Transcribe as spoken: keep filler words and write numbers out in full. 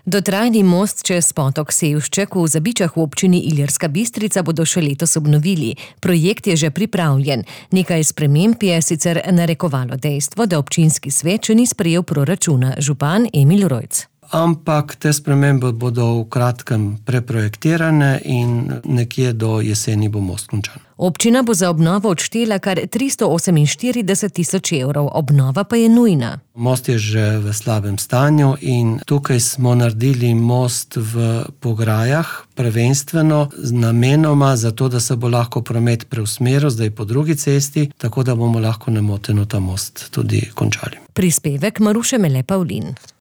Dotrajni most čez potok Sevšček v Zabičah v občini Ilirska Bistrica bodo še letos obnovili. Projekt je že pripravljen. Nekaj sprememb je sicer narekovalo dejstvo, da občinski svet še ni sprejel proračuna. Župan Emil Rojc. Ampak te spremembe bodo v kratkem preprojektirane in nekje do jeseni bo most končan. Občina bo za obnovo odštela kar tristo oseminštirideset tisoč evrov, obnova pa je nujna. Most je že v slabem stanju in tukaj smo naredili most v Pograjah, prvenstveno namenoma zato, da se bo lahko promet preusmeril zdaj po drugi cesti, tako da bomo lahko nemoteno ta most tudi končali. Prispevek Maruše Mele Pavlin.